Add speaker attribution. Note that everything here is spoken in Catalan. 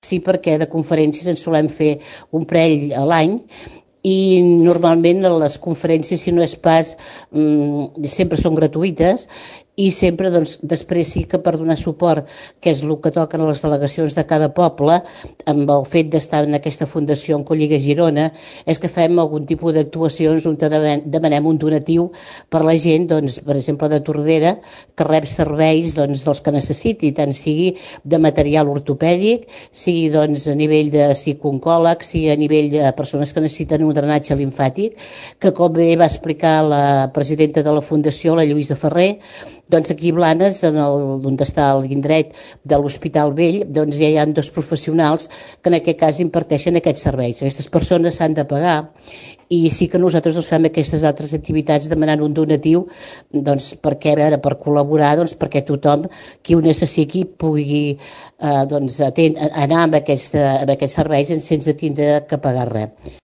Speaker 1: Sí, perquè de conferències en solem fer un parell a l'any i normalment les conferències, si no és pas, sempre són gratuïtes i sempre, doncs, després sí que per donar suport, que és el que toquen a les delegacions de cada poble, amb el fet d'estar en aquesta fundació en Colliga Girona, és que fem algun tipus d'actuacions on demanem un donatiu per la gent, doncs, per exemple, de Tordera, que rep serveis, doncs, dels que necessiti, tant sigui de material ortopèdic, sigui, doncs, a nivell de psicooncòleg, sigui a nivell de persones que necessiten un drenatge limfàtic, que com bé va explicar la presidenta de la Fundació, la Lluïsa Ferrer, doncs aquí a Blanes, on està l'indret de l'Hospital Vell, doncs ja hi ha 2 professionals que en aquest cas imparteixen aquests serveis. Aquestes persones s'han de pagar i sí que nosaltres fem aquestes altres activitats demanant un donatiu, doncs, perquè, a veure, per col·laborar, doncs, perquè tothom qui ho necessiti pugui doncs, anar amb aquests serveis sense tindre que pagar res.